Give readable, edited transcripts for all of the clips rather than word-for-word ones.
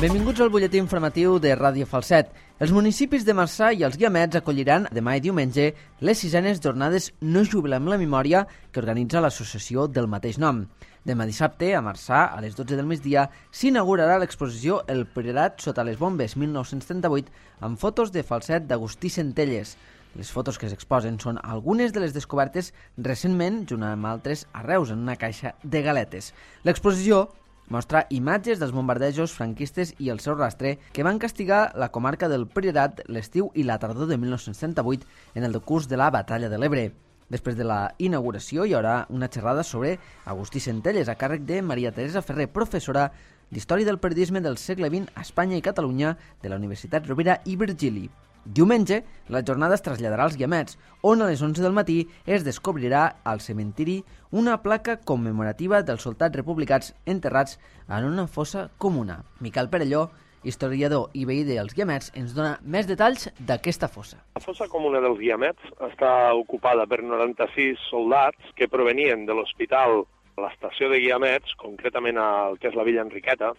Benvinguts al butlletí informatiu de Ràdio Falset. Els municipis de Marçà i els Guiamets acolliran demà i diumenge les 6enes jornades No jubilem la memòria que organitza l'associació del mateix nom. Demà dissabte, a Marçà, a les 12 del migdia, s'inaugurarà l'exposició El Priorat sota les bombes 1938 amb fotos de Falset d'Agustí Centelles. Les fotos que s'exposen són algunes de les descobertes recentment, junt amb altres, a Reus, en una caixa de galetes. L'exposició mostra imatges dels bombardejos franquistes i el seu rastre que van castigar la comarca del Priorat l'estiu i la tardor de 1938 en el decurs de la Batalla de l'Ebre. Després de la inauguració hi haurà una xerrada sobre Agustí Centelles a càrrec de Maria Teresa Ferrer, professora d'Història del Periodisme del segle XX a Espanya i Catalunya de la Universitat Rovira i Virgili. Diumenge, la jornada es traslladarà als Guiamets, on a les 11 del matí es descobrirà al cementiri una placa commemorativa dels soldats republicans enterrats en una fossa comuna. Miquel Perelló, historiador i veí dels Guiamets, ens dona més detalls d'aquesta fossa. La fossa comuna dels Guiamets està ocupada per 96 soldats que provenien de l'hospital a l'estació de Guiamets, concretament al que és la Villa Enriqueta,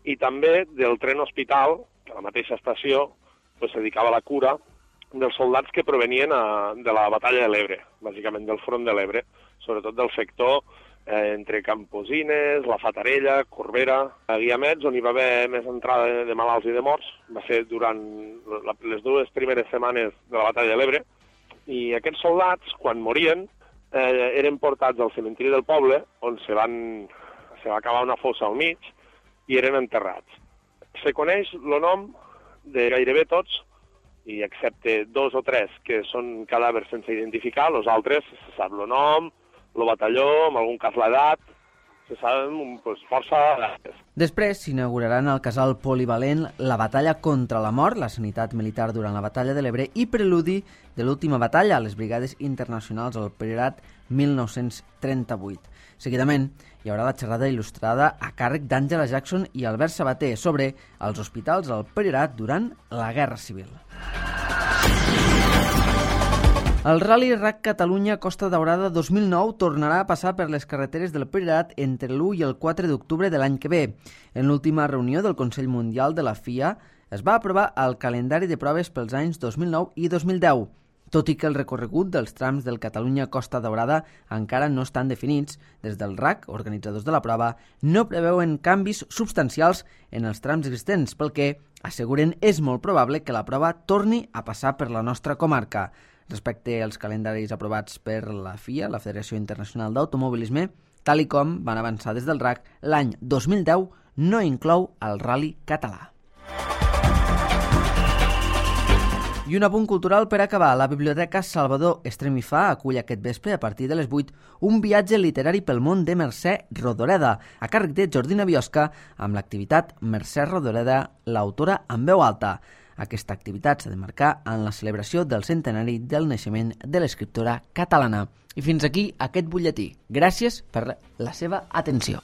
i també del tren hospital, que a la mateixa estació se dedicava a la cura dels soldats que provenien de la batalla de l'Ebre, bàsicament del front de l'Ebre, sobretot del sector entre Camposines, la Fatarella, Corbera, a Guiamets, on hi va haver més entrada de malalts i de morts. Va ser durant les dues primeres setmanes de la batalla de l'Ebre, i aquests soldats, quan morien, eren portats al cementiri del poble, on se va acabar una fossa al mig, i eren enterrats. Se coneix el nom de gairebé tots, i excepte 2 o 3 que són cadàvers sense identificar, els altres se sap el nom, el batalló, en algun cas l'edat, se saben força dates. Després s'inauguraran al casal polivalent la batalla contra la mort, la sanitat militar durant la batalla de l'Ebre i preludi de l'última batalla a les brigades internacionals al Priorat 1938. Seguidament, hi haurà la xerrada il·lustrada a càrrec d'Àngela Jackson i Albert Sabater sobre els hospitals al Priorat durant la Guerra Civil. El Rally RAC Catalunya Costa Daurada 2009 tornarà a passar per les carreteres del Priorat entre l'1 i el 4 d'octubre de l'any que ve. En l'última reunió del Consell Mundial de la FIA es va aprovar el calendari de proves pels anys 2009 i 2010. Tot i que el recorregut dels trams del Catalunya Costa Daurada encara no estan definits, des del RAC, organitzadors de la prova, no preveuen canvis substancials en els trams existents, pel que asseguren és molt probable que la prova torni a passar per la nostra comarca. Respecte als calendaris aprovats per la FIA, la Federació Internacional d'Automobilisme, tal i com van avançar des del RAC, l'any 2010 no inclou el Rally català. I un apunt cultural per acabar. La Biblioteca Salvador Estremifà acull aquest vespre, a partir de les 8, un viatge literari pel món de Mercè Rodoreda, a càrrec de Jordina Biosca, amb l'activitat Mercè Rodoreda, l'autora en veu alta. Aquesta activitat s'ha de marcar en la celebració del centenari del naixement de l'escriptora catalana. I fins aquí aquest butlletí. Gràcies per la seva atenció.